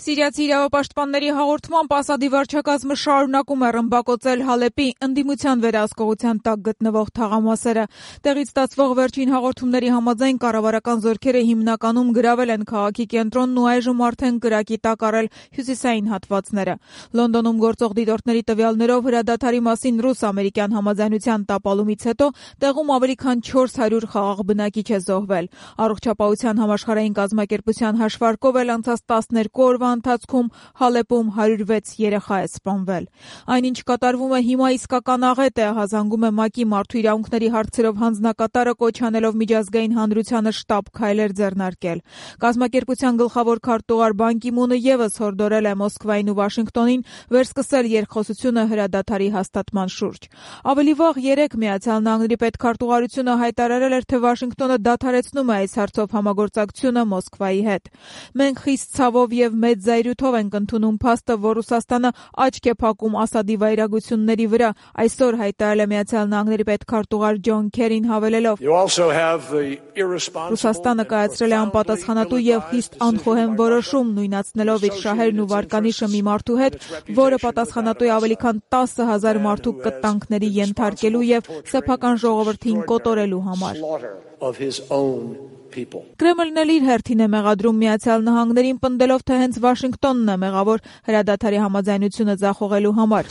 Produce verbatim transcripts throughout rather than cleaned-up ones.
Սիրիացի իրավապաշտպանների հաղորդմամբ Ասադի վարչակազմը շարունակում է ռմբակոծել Հալեպի ընդդիմության վերահսկողության տակ գտնվող թաղամասերը։ Տեղից ստացվող վերջին հաղորդումների համաձայն կառավարական զորքերը հիմնականում գրավել են քաղաքի կենտրոնն ու այժմ արդեն կրակի տակ առել հյուսիսային հատվածները։ Լոնդոնում գործող դիտորդների տվյալներով հրադադարի մասին ռուս-ամերիկյան համաձայնության տապալումից հետո տեղում ավելի քան չորս հարյուր խաղաղ բնակիչ է զոհվել։ Առողջապահության համաշխարհային կազմակերպության հաշվարկով էլ անցած տասներկու օրվա ընթացքում Հալեպում հարյուր վեց երեխա է սպանվել։ Այնինչ կատարվում է հիմա իսկական աղետ է, հազանգում է ՄԱԿ-ի մարդու իրավունքների հարցերով հանձնակատարը, կոչ անելով միջազգային հանրությանը շտապ քայլեր ձեռնարկել։ Կազմակերպության գլխավոր քարտուղար Բան Կի Մունը ևս հորդորել է Մոսկվային ու Վաշինգտոնին վերսկսել երկխոսությունը հրադադարի հաստատման շուրջ։ Ավելի վաղ երեկ Միացյալ Նահանգների պետքարտուղարությունը հայտարարել էր, թե Վաշինգտոնը դադարեցնում է այս հարցով համագործակցությունը Մոսկվայի հետ։ Մենք խիստ ցավով եւ մեծ զայրույթով ենք ընդունում փաստը, որ Ռուսաստանը աչք է փակում Ասադի վայրագությունների վրա, այսօր հայտարարել է Միացյալ Նահանգների պետքարտուղար Ջոն Քերին հավելելով. Ռուսաստանը կայացրել է անպատասխանատու եւ խիստ անխոհեմ որոշում, նույնացնելով իր շահերն ու վարկանիշը մի մարդու հետ, որը պատասխանատու է ավելի քան տասը հազար մարդու կտանքների ենթարկելու եւ սեփական ժողովրդին կոտորելու համար։ Կրեմլն էլ իր հերթին է մեղադրում Միացյալ Նահանգներին, պնդելով, թե հենց Վաշինգտոնն է մեղավոր հրադադարի համաձայնությունը ձախողելու համար։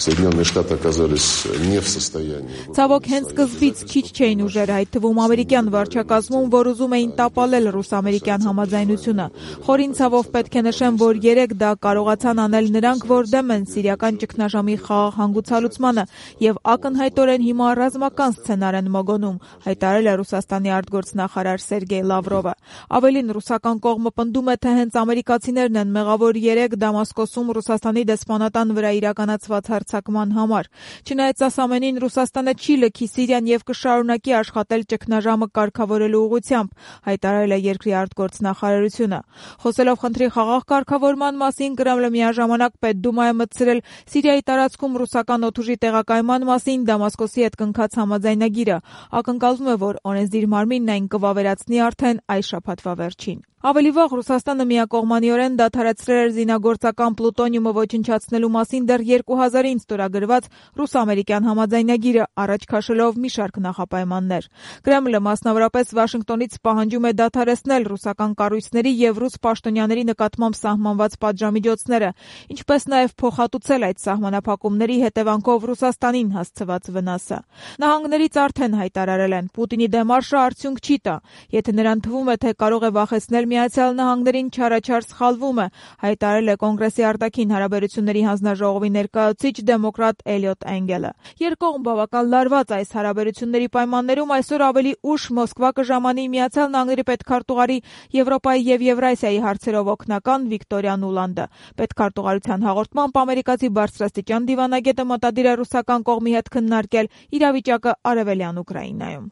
Ցավոք, հենց սկզբից քիչ չէին ուժերը, այդ թվում ամերիկյան վարչակազմում, որ ուզում էին տապալել ռուս-ամերիկյան համաձայնությունը։ Խորին ցավով պետք է նշեմ, որ երեք դա կարողացան անել նրանք, որ դեմ են սիրիական ճգնաժամի խաղաղ հանգուցալուծմանը եւ ակնհայտորեն հիմա ռազմական սցենար են մոգոնում, հայտարարել է Ռուսաստանի արտգործնախարար Սերգեյ Լավրովը։ Ավելին, ռուսական կողմը պնդում է, թե հենց ամերիկացիներն են մեղավոր երեք Դամասկոսում Ռուսաստանի դեսպանատան վրա իրականացված հարձակման համար։ Չնայած այս ամենին, Ռուսաստանը չի լքի Սիրիան եւ կշարունակի աշխատել ճգնաժամը կարգավորելու ուղղությամբ, հայտարարել է երկրի արտգործնախարարությունը։ Խոսելով խնդրի խաղաղ կարգավորման մասին, Կրեմլը միաժամանակ Պետդումայ է մտցրել Սիրիայի տարածքում ռուսական օդուժի տեղակայման մասին Դամասկոսի հետ կնքած համաձայնագիրը։ Ակնկալվում է, որ օրենսդիր մարմինն այն կվավերացնի արդեն այս շաբաթվա վերջին։ Ավելի վաղ Ռուսաստանը միակողմանիորեն դադարեցրել էր զինագործական պլուտոնիումը ոչնչացնելու մասին դեռ երկու հազարին ստորագրված ռուս-ամերիկյան համաձայնագիրը, առաջ քաշելով մի շարք նախապայմաններ։ Կրեմլը մասնավորապես Վաշինգտոնից պահանջում է դադարեցնել ռուսական կառույցների եւ ռուս պաշտոնյաների նկատմամբ սահմանված պատժամիջոցները, ինչպես նաեւ փոխհատուցել այդ սահմանափակումների հետևանքով Ռուսաստանին հասցված վնասը։ Նահանգներից արդեն հայտարարել են, Պուտինի դեմարշը արդյունք չի տա, եթե նրան թվում է, թե կարող է վախեցնել Միացյալ Նահանգներին, չարաչար սխալվում է, հայտարարել է Կոնգրեսի արտաքին հարաբերությունների հանձնաժողովի ներկայացուցիչ դեմոկրատ Էլիոտ Էնգելը։ Երկկողմ բավական լարված այս հարաբերությունների պայմաններում այսօր ավելի ուշ Մոսկվա կժամանի Միացյալ Նահանգների պետքարտուղարի Եվրոպայի եւ Եվրասիայի հարցերով օգնական Վիկտորիա Նուլանդը։ Պետքարտուղարության հաղորդմամբ ամերիկացի բարձրաստիճան դիվանագետը մտադիր է ռուսական կողմի հետ քննարկել իրավիճակը արևելյան Ուկրաինայում։